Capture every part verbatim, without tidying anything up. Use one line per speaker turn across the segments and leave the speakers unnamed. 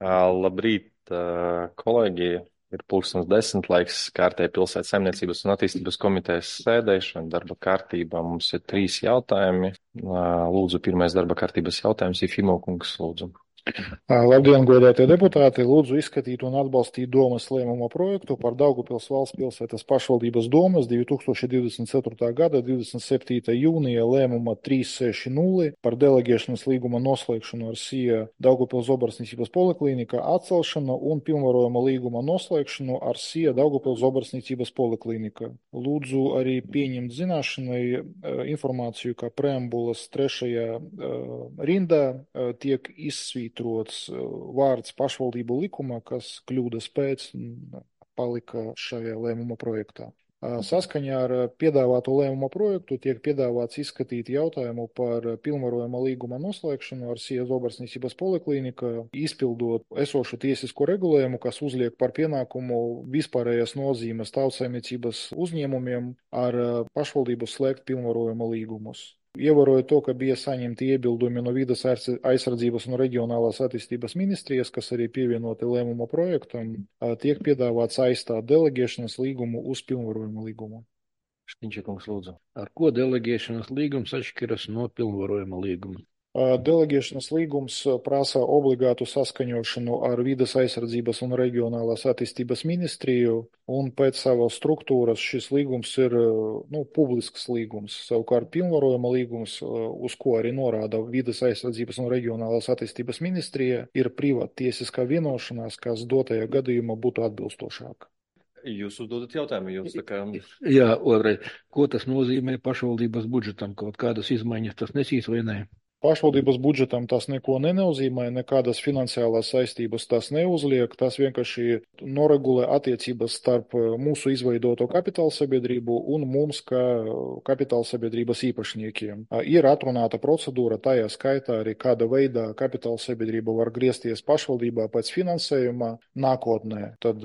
Ā, Labrīt, ā, kolēģi! Ir pulkstens desmit laiks kārtēji pilsētas saimniecības un attīstības komitejas sēdēšana. Darba kārtībā mums ir trīs jautājumi. Ā, Lūdzu, pirmais darba kārtības jautājums ir Fimo kungs, lūdzu.
Ā, Labdien, godātie deputāti! Lūdzu izskatīt un atbalstīt domas lēmuma projektu par Daugavpils valsts pilsētas pašvaldības domas divi tūkstoši divdesmit ceturtā gada divdesmit septītā jūnija lēmuma trīs seši nulle par deleģēšanas līguma noslēgšanu ar SIA Daugavpils Zobarsniecības poliklinika atcelšanu un pilnvarojuma līguma noslēgšanu ar SIA Daugavpils Zobarsniecības poliklinika. Lūdzu arī pieņemt zināšanai uh, informāciju, ka preambulas trešajā uh, rindā uh, tiek izsvītrots vārds pašvaldību likuma, kas kļūdas pēc palika šajā lēmuma projektā. Saskaņā ar piedāvāto lēmuma projektu tiek piedāvāts izskatīt jautājumu par pilnvarojuma līguma noslēgšanu ar SIA Zobarsniecības poliklinika, izpildot esošu tiesisko regulējumu, kas uzliek par pienākumu vispārējās nozīmes tautsaimniecības uzņēmumiem ar pašvaldību slēgt pilnvarojuma līgumus. Ievērojot to, ka bija saņemti iebildumi no Vides aizsardzības un reģionālās attīstības ministrijas, kas arī pievienoti lēmuma projektam, tiek piedāvāts aizstāt deleģēšanas līgumu uz pilnvarojuma līgumu.
Škiņķa kungs, lūdzu.
Ar ko deleģēšanas līgums atšķiras no pilnvarojuma līguma?
Deleģēšanas līgums prasa obligātu saskaņošanu ar Vides aizsardzības un reģionālās attīstības ministriju, un pēc savas struktūras šis līgums ir nu, publisks līgums. Savukārt pilnvarojuma līgums, uz ko arī norāda Vides aizsardzības un reģionālās attīstības ministrija, ir privāttiesiskā vienošanās, kas dotajā gadījumā būtu atbilstošāka.
Jūs uzdodat jautājumu, jūs tā kā...
Jā, otrais. Ko tas nozīmē pašvaldības budžetam? Kaut kādas izmaiņas tas nesīs vai nē?
Pašvaldības budžetam tas neko nenozīmē, nekādas finansiālās saistības tas neuzliek, tas vienkārši noregulē attiecības starp mūsu izveidoto kapitāla sabiedrību un mums, kā kapitāla sabiedrības īpašniekiem. Ir atrunāta procedūra, tajā skaitā arī kāda veidā kapitāla sabiedrība var griezties pašvaldībā pēc finansējuma nākotnē. Tad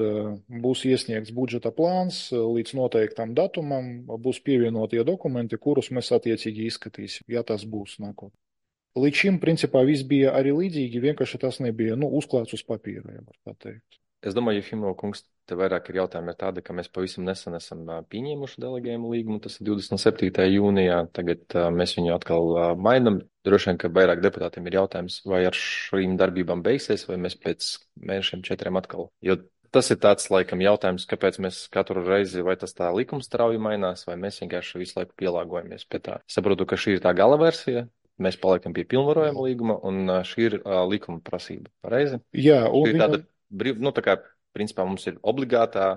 būs iesniegts budžeta plāns līdz noteiktam datumam, būs pievienotie dokumenti, kurus mēs attiecīgi izskatīsim, ja tas būs nākotnē. Līdz šim, principā, viss bija arī līdzīgi, vienkārši tas nebija, nu, uzklāts uz papīra, ja var tā teikt.
Es domāju, Fimo kungs, te vairāk ir jautājumi ir tādi, ka mēs pavisam nesen esam pieņēmuši deleģējumu līgumu, tas ir divdesmit septītā jūnijā, tagad mēs viņu atkal mainam. Droši vien, ka vairāk deputātiem ir jautājums, vai ar šīm darbībām beigsies, vai mēs pēc mēnešiem četriem atkal. Jo tas ir tāds, laikam, jautājums, kāpēc mēs katru reizi, vai tas tā likums strauji mainās, vai mēs vienkārši visu laiku pielāgojamies pie tā. Saprotu, ka šī ir tā gala versija. Mēs paliekam pie pilnvarojuma līguma, un šī ir uh, likuma prasība. Pareizi?
Jā, un
šī ir tāda brīv, nu tā kā, principā mums ir obligātā,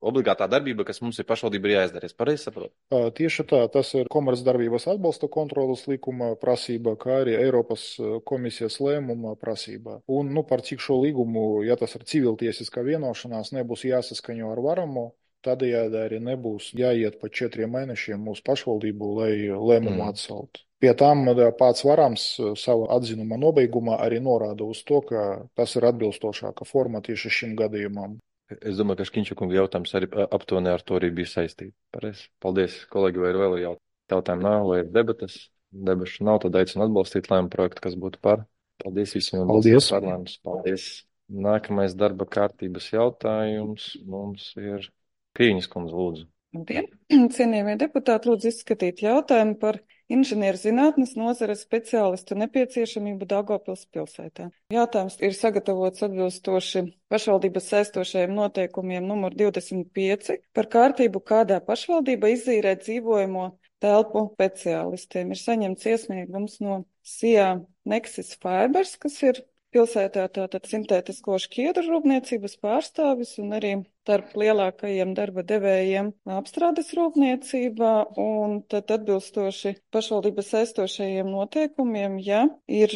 obligātā darbība, kas mums ir pašvaldība ir jāizdarīs. Pareizi saprot?
Tieši tā, tas ir komercdarbības atbalsta kontrolas likuma prasība, kā arī Eiropas komisijas lēmuma prasība. Un, nu, par cik šo līgumu, ja tas ir civiltiesiskā vienošanās, nebūs jāsaskaņo ar varamo, tādējādi arī nebūs jāiet pa četriem mēnešiem mūsu pašvaldību, lai lēmumu mm. atceltu. Pie tām pats varams savu atzinuma nobeigumā arī norāda uz to, ka tas ir atbilstošāka forma tieši šim gadījumam.
Es domāju, ka Škiņča kunga jautājums arī aptuveni ar to arī bija saistīts. Pareizi. Paldies, kolēģi, vai ir vēl jautājumu nav, vai ir debatas? Debašu nav, tad aicinu atbalstīt lēmumu projektu, kas būtu par. Paldies visiem.
Paldies.
Parlamentus. Paldies. Nākamais darba kārtības jautājums mums ir Krīņas kundze, lūdzu.
Labdien! Cienījamie deputāti, lūdzu izskatīt jautājumu par inženierzinātnes nozares speciālistu nepieciešamību Daugavpils pilsētā. Jautājums ir sagatavots atbilstoši pašvaldības saistošajiem noteikumiem numur divdesmit pieci par kārtību, kādā pašvaldība izīrē dzīvojamo telpu speciālistiem. Ir saņemts iesniegums no SIA Nexus Fibers, kas ir pilsētā tātad sintētisko šķiedru rūpniecības pārstāvis un arī starp lielākajiem darba devējiem apstrādes rūpniecībā, un tad atbilstoši pašvaldības saistošajiem noteikumiem, ja ir,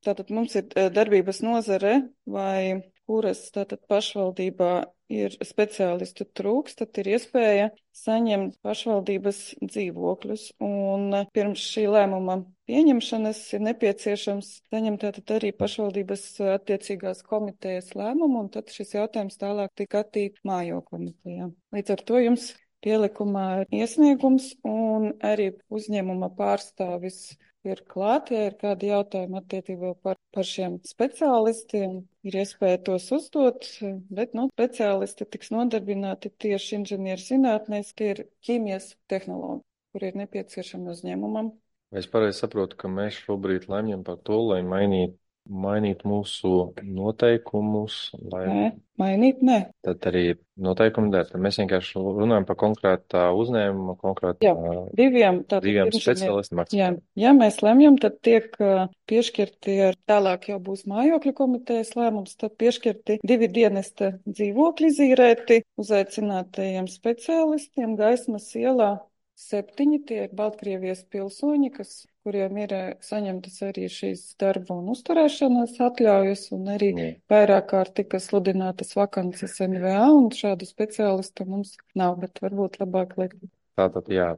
tātad mums ir darbības nozare vai kuras tātad pašvaldībā ir speciālistu trūks, tad ir iespēja saņemt pašvaldības dzīvokļus. Un pirms šī lēmuma pieņemšanas ir nepieciešams saņemt tātad arī pašvaldības attiecīgās komitejas lēmumu, un tad šis jautājums tālāk tika attīt mājo komitejā. Līdz ar to jums pielikumā ir iesniegums, un arī uzņēmuma pārstāvis ir klāt, ja ir kādi jautājumi attiecībā par, par šiem speciālistiem, ir iespēja tos uzdot, bet, nu, speciālisti tiks nodarbināti tieši inženieru zinātnēs, tie ir ķīmijas tehnologi, kur ir nepieciešami uzņēmumam.
Es pareizi saprotu, ka mēs šobrīd lemjam par to, lai mainītu mainīt mūsu noteikumus, lai...
Nē, mainīt, nē.
Tad arī noteikumi dēļ. Tad mēs vienkārši runājam par konkrētā uzņēmuma, konkrētā...
Jā, diviem, tātad
diviem
inženieri-
speciālistiem.
Jā, ja mēs lemjam, tad tiek uh, piešķirti, ar tālāk jau būs mājokļu komitejas lēmums, tad piešķirti divi dienesta dzīvokļi zīrēti uzaicinātajiem speciālistiem Gaismas ielā. Septiņi tie ir Baltkrievijas pilsoņi, kas, kuriem ir eh, saņemtas arī šīs darba un uzturēšanās atļaujas, un arī
Jā.
vairāk kārt tika sludinātas vakances N V A, un šādu speciālistu mums nav, bet varbūt labāk liekt.
Tātad, jā,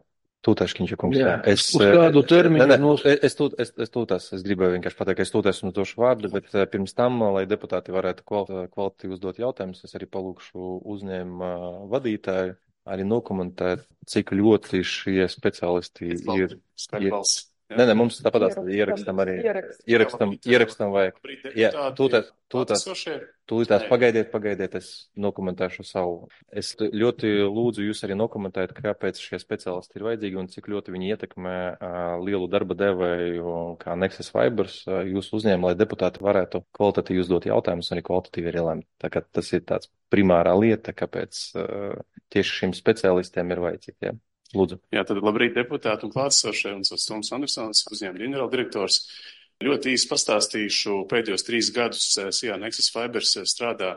tūtaškiņš kungs.
Jā,
Es,
uz kādu termiņu
ne, ne,
nos-
es, es, tūt, es, es tūtās, es gribēju vienkārši pateikt, ka es tūtās un došu vārdu, bet eh, pirms tam, lai deputāti varētu kvali- kvalitatīvi uzdot jautājumus, es arī palūkšu uzņēmuma vadītāju arī nokomentēt, cik ļoti šie speciālisti ir. ir Nē, nē, mums tāpat ierakstam arī.
Ierakst.
Ierakstam, ierakstam vajag. Jā, tūtās, tūtās, tūtās pagaidiet, pagaidiet, es nokomentēšu savu. Es ļoti lūdzu jūs arī nokomentēt, kāpēc šie speciālisti ir vajadzīgi un cik ļoti viņi ietekmē uh, lielu darba devēju, kā Nexus Fibers, uh, jūsu uzņēmumu, lai deputāti varētu kvalitatīvi uzdot jautājumus un arī kvalitatīvi arī lemt. Tā kā tas ir tāds primārā lieta, kāpēc uh, tieši šiem speciālistiem ir vajadzīgi. Jā. Lūdzu.
Jā, tad labrīt deputāti un klātesošie, un tas Toms Andersons, uzņēmuma ģenerāldirektors. Ļoti īsi pastāstīšu, pēdējos trīs gadus Sijā Nexus Fibers strādā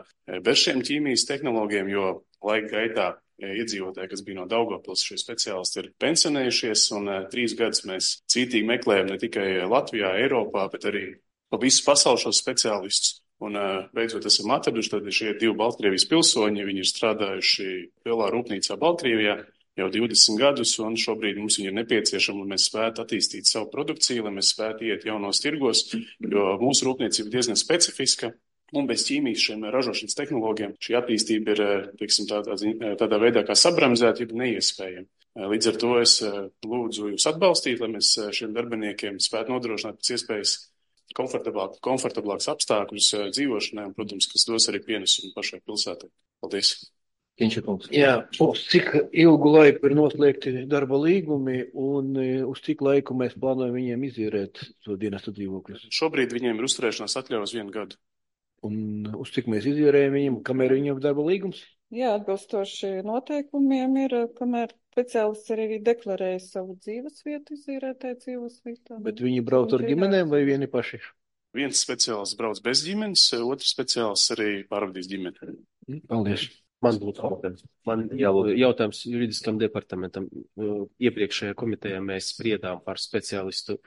bez šiem ķīmijas tehnoloģiem, jo laika gaitā iedzīvotāji, kas bija no Daugavpils, šie speciālisti ir pensionējušies, un trīs gadus mēs cītīgi meklējam ne tikai Latvijā, Eiropā, bet arī pa visu pasauli šos speciālistus. Un beidzot esam atraduši, tad šie divi Baltkrievijas pilsoņi, viņi ir strādājuši lielā rūpnīcā Baltkrievijā jau divdesmit gadus, un šobrīd mums viņi ir nepieciešami, lai mēs spētu attīstīt savu produkciju, lai mēs spētu iet jaunos tirgos, jo mūsu rūpniecība ir diezgan specifiska, un bez ķīmijas šiem ražošanas tehnoloģiem šī attīstība ir, teiksim, tādā, tādā veidā kā sabremzēta, ja neiespējama. Līdz ar to es lūdzu jūs atbalstīt, lai mēs šiem darbiniekiem spētu nodrošināt pēc iespējas komfortablāk, komfortablāks apstākļus dzīvošanai, un, protams, kas dos arī pienesumu pašai pilsētai. Paldies!
Kinčakungs.
Jā, uz cik ilgu laiku ir noslēgti darba līgumi un e, uz cik laiku mēs plānojam viņiem izīrēt to dienestu dzīvokļus?
Šobrīd viņiem ir uzturēšanās atļaujas vienu gadu.
Un uz cik mēs izīrējam viņiem, kamēr viņiem ir darba līgums?
Jā, atbilstoši noteikumiem ir, kamēr speciālists arī deklarēja savu dzīves vietu, izīrētāju dzīves vietā.
Bet viņi brauc ar ģimenēm vai vieni paši?
Viens speciālists brauc bez ģimenes, otrs speciālists arī pārvadīs ģimeni.
Paldies.
Man būtu jautājums. Man jālūdz jautājums juridiskam departamentam. Iepriekšējā komitejā mēs spriedām par speciālistu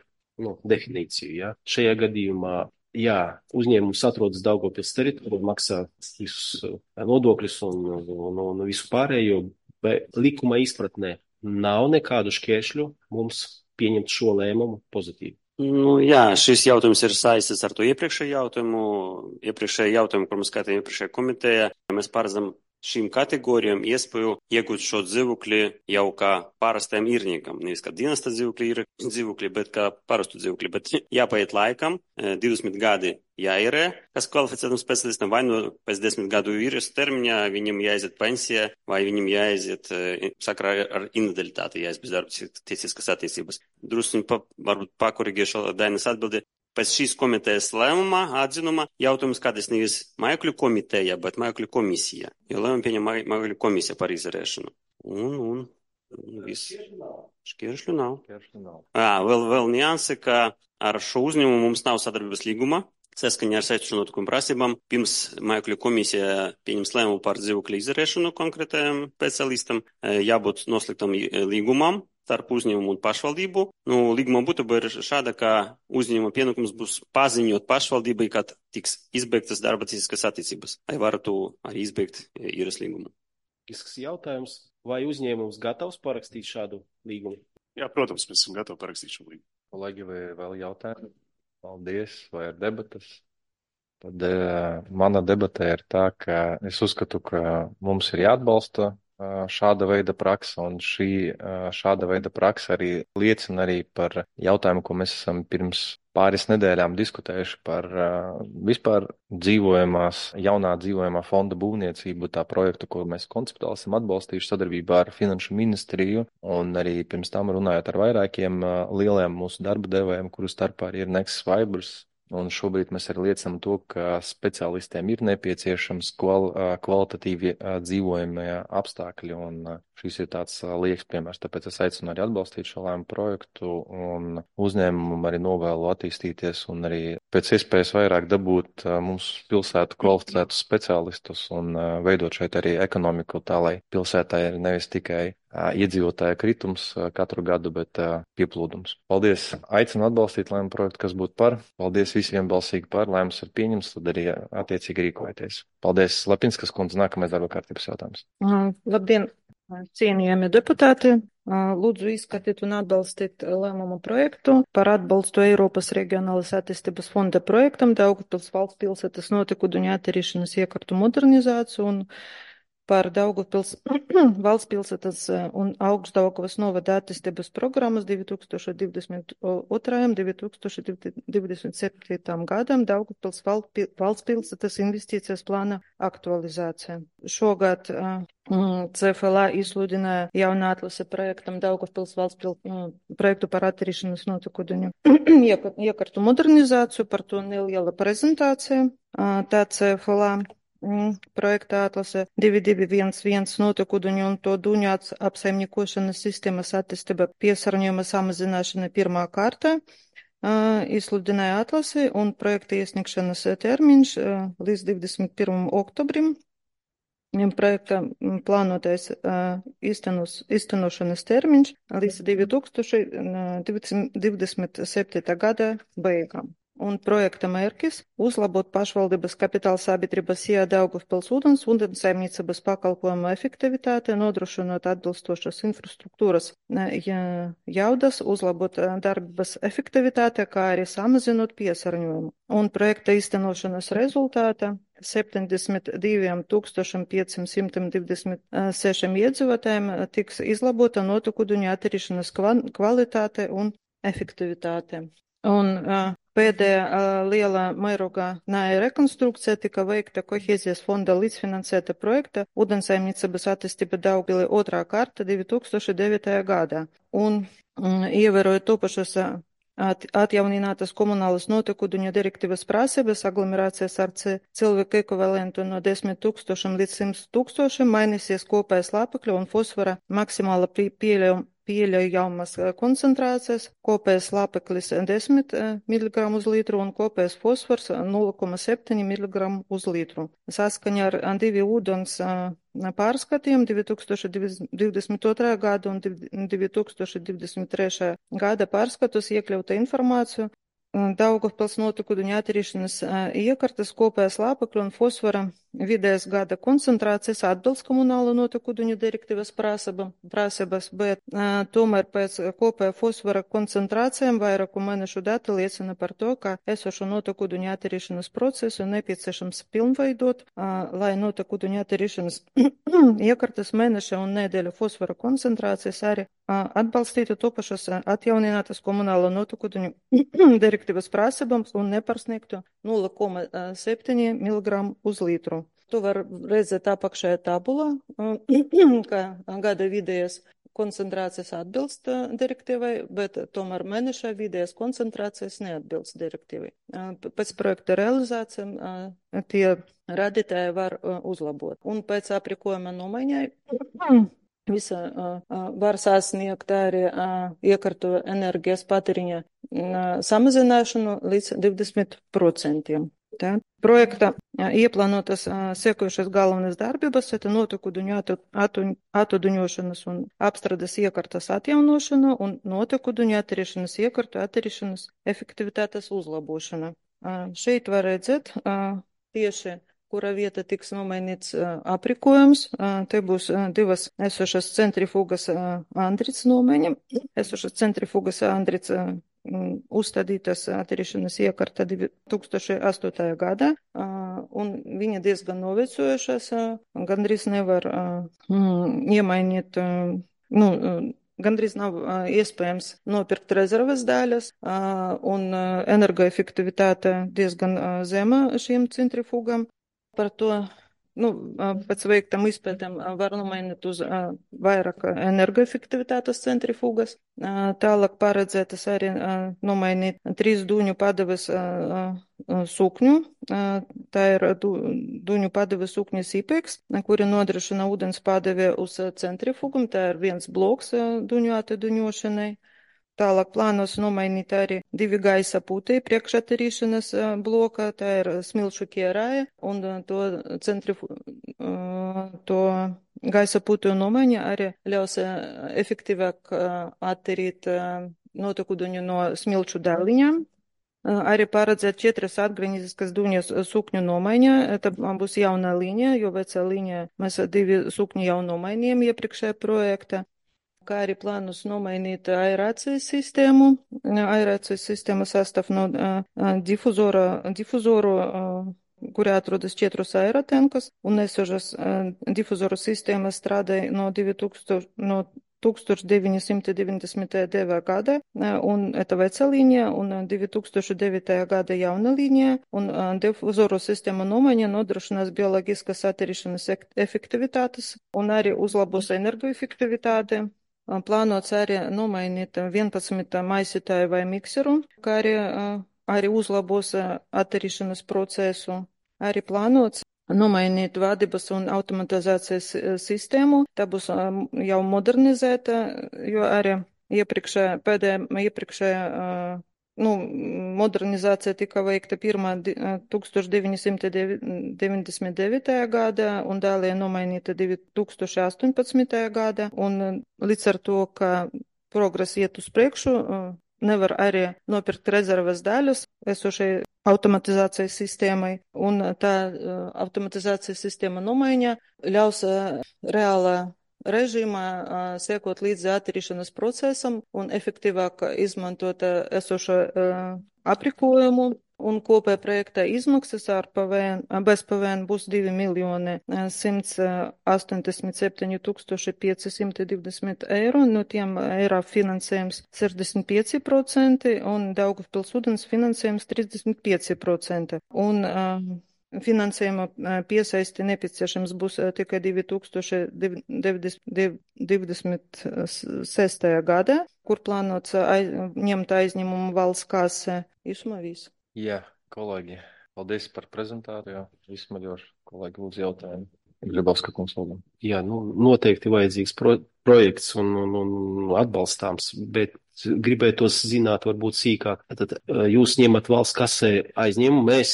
nu, definīciju. Ja? Šajā gadījumā, jā, uzņēmums atrodas Daugavpils teritorijā, maksā visus nodokļus un, un, un visu pārējo, bet likuma izpratnē nav nekādu šķēršļu mums pieņemt šo lēmumu pozitīvi.
Nu, jā, šis jautājums ir saistīts ar to iepriekšējo jautājumu. Iepriekšējo jautājumu, kur mēs skatījām iepriekšējā komitejā, mēs paredzam šīm kategorijām iespēju iegūt šo dzīvokli jau kā parastajam īrniekam. Nevis kā dienesta dzīvokļi ir dzīvokļi, bet kā parastu dzīvokļi. Bet jāpaiet laikam, divdesmit gadi jāierē, kas kvalificētam specialistam, vai no pēc desmit gadu īres termiņā viņam jāaiziet pensijā, vai viņam jāaiziet sakrā ar invaliditāti, jāaiziet bez darba tiesiskas attiecības. Druskuņi pa, varbūt pakorigēšu Dainas atbildi. Pēc šīs komitejas lēmuma, atzinuma, jautājums kādreiz nevis mājokļu komiteja, bet mājokļu komisija. Jo lēmumu pieņem mājokļu komisija par izdarēšanu. Un, un, un viss. Šķēršļu nav.
Šķēršļu nav.
Jā, vēl, vēl nianse, ka ar šo uzņēmumu mums nav sadarbības līguma. Saskaņā ar saistošām notikumu prasībām, pirms mājokļu komisija pieņems lēmumu par dzīvokļu izdarēšanu konkrētajam speciālistam, jābūt noslēgtam līgumam starp uzņēmumu un pašvaldību. Nu, līguma būtība ir šāda, ka uzņēmuma pienākums būs paziņot pašvaldībai, kad tiks izbeigtas darba tiesiskas attiecības, lai varētu arī izbeigt īres līgumu.
Isks jautājums, vai uzņēmums gatavs parakstīt šādu līgumu?
Jā, protams, mēs esam gatavi parakstīt šo līgumu.
Kolēģi, vai vēl jautājumi? Paldies, vai ir debatas? Tad uh, mana debatē ir tā, ka es uzskatu, ka mums ir jāatbalsta šāda veida praksa, un šī šāda veida praksa arī liecina arī par jautājumu, ko mēs esam pirms pāris nedēļām diskutējuši par vispār dzīvojamās, jaunā dzīvojamā fonda būvniecību, tā projektu, ko mēs konceptuāli esam atbalstījuši sadarbībā ar Finanšu ministriju, un arī pirms tam runājot ar vairākiem lieliem mūsu darba devējiem, kuru starpā arī ir Nexus Fibers. Un šobrīd mēs arī liecinām to, ka speciālistiem ir nepieciešams kval, kvalitatīvi dzīvojamie apstākļi, un šis ir tāds lieks piemērs. Tāpēc es aicinu arī atbalstīt šo lēmumu projektu un uzņēmumu arī novēlu attīstīties un arī pēc iespējas vairāk dabūt mums pilsētu kvalificētus speciālistus un veidot šeit arī ekonomiku tā, lai pilsētā ir nevis tikai iedzīvotāja kritums katru gadu, bet pieplūdums. Paldies! Aicinu atbalstīt lēmumu projektu, kas būtu par. Paldies visiem balsīgi par. Lēmums ir pieņems, tad arī attiecīgi rīkojieties. Paldies, Lapinskas kundze, nākamais darba kārtības jautājums.
Labdien, cienījami deputāti! Lūdzu izskatīt un atbalstīt lēmumu projektu par atbalstu Eiropas Reģionālās attīstības fonda projektam Daugavpils valsts pilsētas notekuļu attīrīšanas iekārtu modernizāciju un par Daugavpils valsts pilsētas un Augstdaugavas novada attīstības programmas divi tūkstoši divdesmit otrais un divi tūkstoši divdesmit septītais gadam Daugavpils valsts pilsētas investīcijas plāna aktualizācija. Šogad C F L A izsludināja jaunu atlasi projektam Daugavpils valsts pilsētas projektu par attīrīšanas notekuļu iekārtu modernizāciju, par to neliela prezentācija. Tā C F L A projekta atlase divi divi viens viens notekuļu un to duņu apsaimniekošanas sistēmas attīstība piesārņojuma samazināšana pirmā kārta izsludināja atlasi un projekta iesniegšanas termiņš līdz divdesmit pirmajam oktobrim. Projekta plānotais īstenos, īstenošanas termiņš līdz divi tūkstoši divdesmit septītā gada beigām. Un projekta mērķis – uzlabot pašvaldības kapitāla sabiedrības I A Daugavpils ūdens un saimniecības pakalpojumu efektivitāti, nodrošinot atbilstošas infrastruktūras jaudas, uzlabot darbības efektivitāti, kā arī samazinot piesārņojumu. Un projekta īstenošanas rezultātā septiņdesmit diviem tūkstošiem pieciem simtiem divdesmit sešiem iedzīvotājiem tiks izlabota notekuļu attīrīšanas kvalitāte un efektivitāte. Un uh, pēdējā uh, lielā mērogā nāja rekonstrukcija tika veikta kohēzijas fonda līdzfinansēta projekta ūdensaimniecības attīstība Daugavpilī otrā kārta divi tūkstoši devītajā gadā. Un um, ievērojot topašas at, atjauninātas komunālas notekuļu direktīvas prasības, aglomerācijas ar cilvēku ekvivalentu no desmit tūkstošiem līdz simt tūkstošiem mainīsies kopējais lāpekļa un fosfora maksimāla pieļaujuma pieļaujamas koncentrācijas, kopējais lāpeklis desmit miligramu uz litru un kopējais fosfors nulle komats septiņi miligramu uz litru. Saskaņā ar divi ūdens pārskatiem divi tūkstoši divdesmit otrā gada un divi tūkstoši divdesmit trešā gada pārskatus iekļauta informāciju Daugavpils notekuļu attīrīšanas iekārtas kopējais lāpekļu un fosfora vidējas gada koncentrācijas atbilst komunālo notekuļu direktīvas prasības, bet tomēr pēc kopējā fosfora koncentrācijām vairāku mēnešu dati liecina par to, ka esošo notekuļu attīrīšanas procesu nepieciešams pilnveidot, lai notekuļu attīrīšanas iekārtas mēneša un nedēļa fosfora koncentrācijas arī atbalstītu topašas atjauninātas komunālo notekuļu direktīvas prasībām un nepārsniegtu nulle komats septiņi miligramu uz litru. To var redzēt apakšējā tabulā, ka gada vidējas koncentrācijas atbilst direktīvai, bet tomēr mēneša vidējas koncentrācijas neatbilst direktīvai. Pēc projekta realizācijām tie radītāji var uzlabot. Un pēc aprīkojuma nomaiņai visa var sasniegt arī iekārtu enerģijas patēriņa samazināšanu līdz divdesmit procentiem. Tā. Projekta ieplānotas sekojušas galvenās darbības, tā notekuļu attuduņošanas un apstrādes iekārtas atjaunošana un notekuļu attīrīšanas iekārtu attīrīšanas efektivitātes uzlabošana. Šeit var redzēt tieši, kura vieta tiks nomainīts aprīkojums. Te būs divas esošas centrifugas Andrits nomaiņa. Esošas centrifugas Andrits uzstādītas attīrīšanas iekārta divi tūkstoši astotajā gadā. un viņa diezgan novecojušas, gandrīz nevar mm, iemainīt, nu, gandrīz nav iespējams nopirkt rezerves daļas, un energoefektivitāte diezgan zema šiem centrifugam. Par to, nu, pēc veiktam izpētēm var nomainīt uz vairāk energoefektivitātes centrifugas. Tālāk paredzētas arī nomainīt trīs duņu padeves sukņu. Tā ir duņu padeves sukņas IPEX, kuri nodrošina ūdens padeve uz centrifugu. Tā ir viens bloks duņu atduņošanai. Tālāk plānos nomainīt arī divi gaisa putī priekšattīrīšanas bloka, tā ir smilšu ķērāja, un to, centrifu, to gaisa putu nomaiņa arī ļaus efektīvāk attīrīt notekūdeņu no smilšu daļiņām. Arī paredzēt četras atgriezniskas duņas sukņu nomaiņa, tā būs jauna līnija, jo vecā līnija mēs divi sukņi jau nomainījām iepriekšējā projekta. Kā arī plānus nomainīt aerācijas sistēmu. Aerācijas sistēma sastāv no difuzora, difuzoru, kurā atrodas četras aerotenkas, un esošas difuzoru sistēmas strādāja no, no tūkstoš deviņi simti deviņdesmit divi gada, un это vecā līnija, un divi tūkstoši devītajā gada jauna līnija, un difuzoru sistēma nomaiņa nodrošinās bioloģiskas attīrīšanas efektivitātes, un arī uzlabos energoefektivitāti. Plānots arī nomainīt vienpadsmit maisītāju vai mikseru, kā arī, arī uzlabos attīrīšanas procesu. Arī plānots nomainīt vadības un automatizācijas sistēmu. Tā būs jau modernizēta, jo arī iepriekšējā, pēdējā, iepriekšējā nu, modernizācija tika veikta pirmā tūkstoš deviņi simti deviņdesmit devītajā gadā un dālie nomainīta divi tūkstoši astoņpadsmitajā gadā. Un līdz ar to, ka progress iet uz priekšu, nevar arī nopirkt rezerves daļas esošai automatizācijas sistēmai. Un tā automatizācijas sistēma nomaiņa ļaus reālā režīmā sekot līdzi attīrīšanas procesam un efektīvāk izmantot esošo aprīkojumu. Un kopēja projekta izmaksas ar P V N, bez P V N būs divi miljoni simts astoņdesmit septiņi tūkstoši pieci simti divdesmit eiro, no tiem eiro finansējums sešdesmit pieci procenti un Daugavpils ūdens finansējums trīsdesmit pieci procenti. Un finansējuma piesaisti nepieciešams būs tikai divi tūkstoši divdesmit sestajā gadā, kur plānots aiz, ņemt aizņemumu valsts kasē. Īsumā viss.
Jā, kolēģi, paldies par prezentāciju. Izsmaļoši, kolēģi, lūdzu jautājumu. Gribovska kungs, lūdzu.
Jā, nu, noteikti vajadzīgs pro, projekts un, un, un atbalstāms, bet gribētos zināt varbūt sīkāk. Tad jūs ņemat valsts kasē aizņemumu, mēs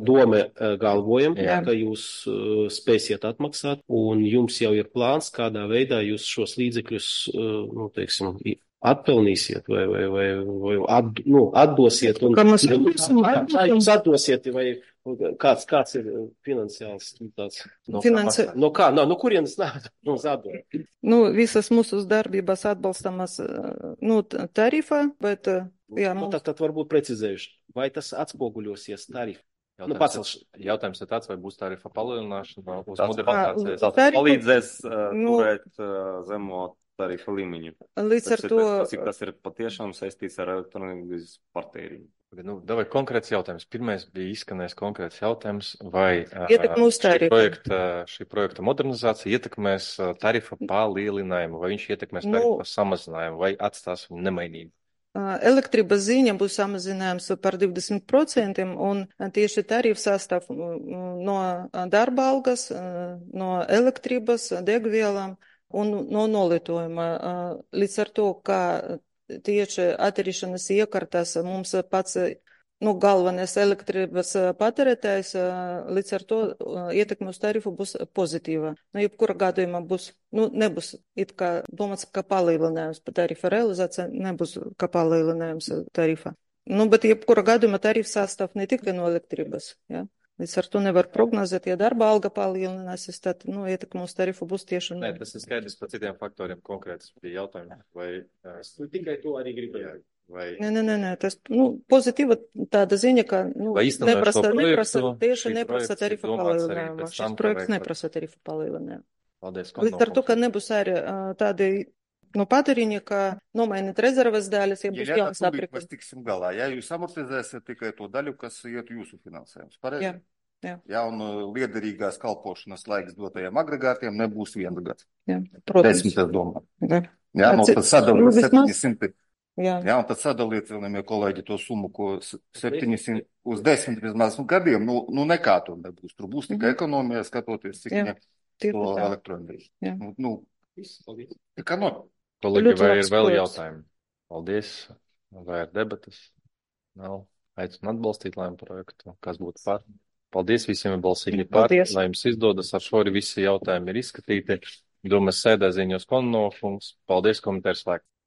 doma galvojam, Jā. Ka jūs uh, spēsiet atmaksāt, un jums jau ir plāns, kādā veidā jūs šos līdzekļus, uh, nu, teiksim, atpelnīsiet vai, vai, vai, vai at, nu, atdosiet. Un,
Kā mēs
jūs atdosiet, vai kāds, kāds ir finansiāls tāds? No,
Finansi...
no kā? No, no kurienes nāk? No zadot?
Nu, visas mūsu darbības atbalstamas, nu, tarifā, bet, jā,
nu,
mums...
tad, tad varbūt precizējuši, vai tas atspoguļosies tarifu?
Jautājums,
nu, pacels...
jautājums ir tāds, vai būs tarifa palielināšana uz
Tas
modernizācijas?
Tas
Tarifa-
palīdzēs uh,
Nu-
turēt uh, zemo tarifa līmeņu.
Līdz ar
Tas
to...
ir, tas, ir, tas ir patiešām saistīts ar elektronikas patēriņu.
Nu, davai konkrēts jautājums. Pirmais bija izskanējis konkrēts jautājums, vai
Ietekme uz
šī
tarifu.
projekta, šī projekta modernizācija ietekmēs tarifa palielinājumu, vai viņš ietekmēs
Nu-
tarifa samazinājumu, vai atstās viņu nemainīgu?
Elektrības ziņa būs samazinājums par divdesmit procentiem, un tieši tarifs sastāv no darba algas, no elektrības, degvielām un no nolietojuma. Līdz ar to, ka tieši attīrīšanas iekārtas mums pats, nu, galvenais elektrības patērētājs, līdz ar to ietekme uz tarifu būs pozitīva. Nu, jebkura gadījumā būs, nu, nebūs it kā domāts, ka palielinājums pa tarifa realizācija, nebūs kā palielinājums tarifa. Nu, bet jebkura gadījumā tarifs sastāv ne tikai no elektrības, ja. Līdz ar to nevar prognozēt, ja darba alga palielināsies, tad, nu, ietekme uz tarifu būs tieši...
Nē, tas ir skaidrs par citiem faktoriem konkrēts bija jautājums, vai...
Es tikai to arī gribēju.
Vai,
Nē, nē, nē, nē, tas, nu, pozitīva tāda ziņa, ka, nu,
vai īstenojot šo
neprasa, neprasa,
projektu,
tieši
šī
neprasa
projekts ir
tarifu
domāts arī
palielinājumu.
pēc
Šis
tam, ka
projekts
vajag
neprasa tarifu palielinājumu.
paldies
Līdz ar to, ka
konkursu.
nebūs arī ā, tādi, nu, patēriņi, ka nomainīt rezerves daļas, ja būs
Ģeļā,
jauns
tūlīt
aprīkojums.
mēs tiksim galā. Ja jūs amortizēsiet tikai to daļu, kas iet jūsu finansējums. Pareizi?
Jā, jā.
Ja, un uh, liederīgās kalpošanas laiks dotajiem agregātiem nebūs viens gads.
Jā, protams.
Desmit, es domāju.
Jā.
Jā, nu,
Atci-
tad sadaliet
nu, vismaz-
septiņsimt.
Jā.
Jā, un tad sadaliet, cienījamie kolēģi, to summu, ko s- septiņsimt uz desmit vismaz nu, gadiem, nu, nu nekā tur nebūs. Tur būs tikai ekonomija, skatoties, cik
Jā,
viņiem
tieši
to
tā.
elektroenerģiju.
Jā.
Nu, nu, ekonomija.
Kolēģi,
Ļoti
vai
labs
ir vēl
projekts.
jautājumi? Paldies. Vai ir debatas? Nav. Aicinu atbalstīt lēmu projektu. Kas būtu par? Paldies visiem ir balsīgi par.
Paldies.
Lai jums izdodas. Ar šo arī visi jautājumi ir izskatīti. Domas sēdē ziņos konnofunks. Paldies, komentārs slēgt.